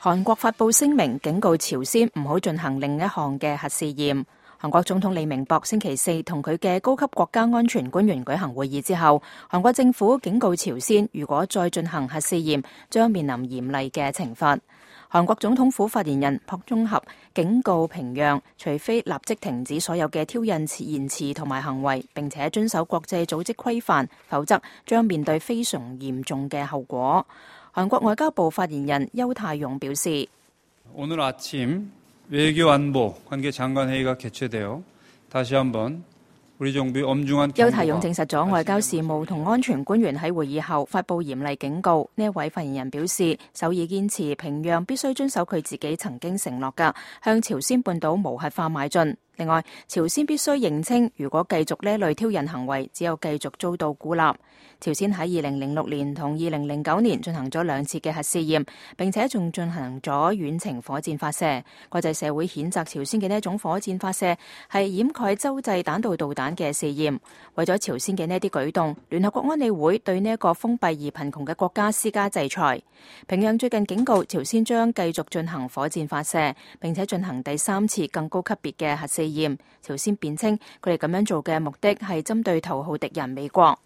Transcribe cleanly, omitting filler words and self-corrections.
韓國發布聲明警告朝鮮唔好進行另一項嘅核試驗。韓國總統李明博星期四同佢嘅高級國家安全官員舉行會議之後，韓國政府警告朝鮮，如果再進行核試驗，將面臨嚴厲嘅懲罰。韓國總統府發言人朴中合警告平壤，除非立即停止所有嘅挑釁言辭同埋行為，並且遵守國際組織規範，否則將面對非常嚴重嘅後果。韓國外交部發言人邱泰勇表示，오늘 아침 외교안보 관계장관회의가 개최되어 다시 한번邱泰勇證實咗外交事務同安全官員喺會議後發布嚴厲警告。呢一位發言人表示，首爾堅持平壤必須遵守佢自己曾經承諾嘅，向朝鮮半島無核化邁進。另外，朝鮮必須認清，如果繼續呢類挑釁行為，只有繼續遭到孤立。朝鮮喺2006年同2009年進行咗2次嘅核試驗，並且仲進行咗遠程火箭發射。國際社會譴責朝鮮嘅呢一種火箭發射係掩蓋洲際彈道導彈嘅試驗。為咗朝鮮嘅呢啲舉動，聯合國安理會對呢一個封閉而貧窮嘅國家施加制裁。平壤最近警告朝鮮將繼續進行火箭發射，並且進行第3次更高級別嘅核試驗。朝鮮辯稱佢哋咁樣做嘅目的係針對頭號敵人美國。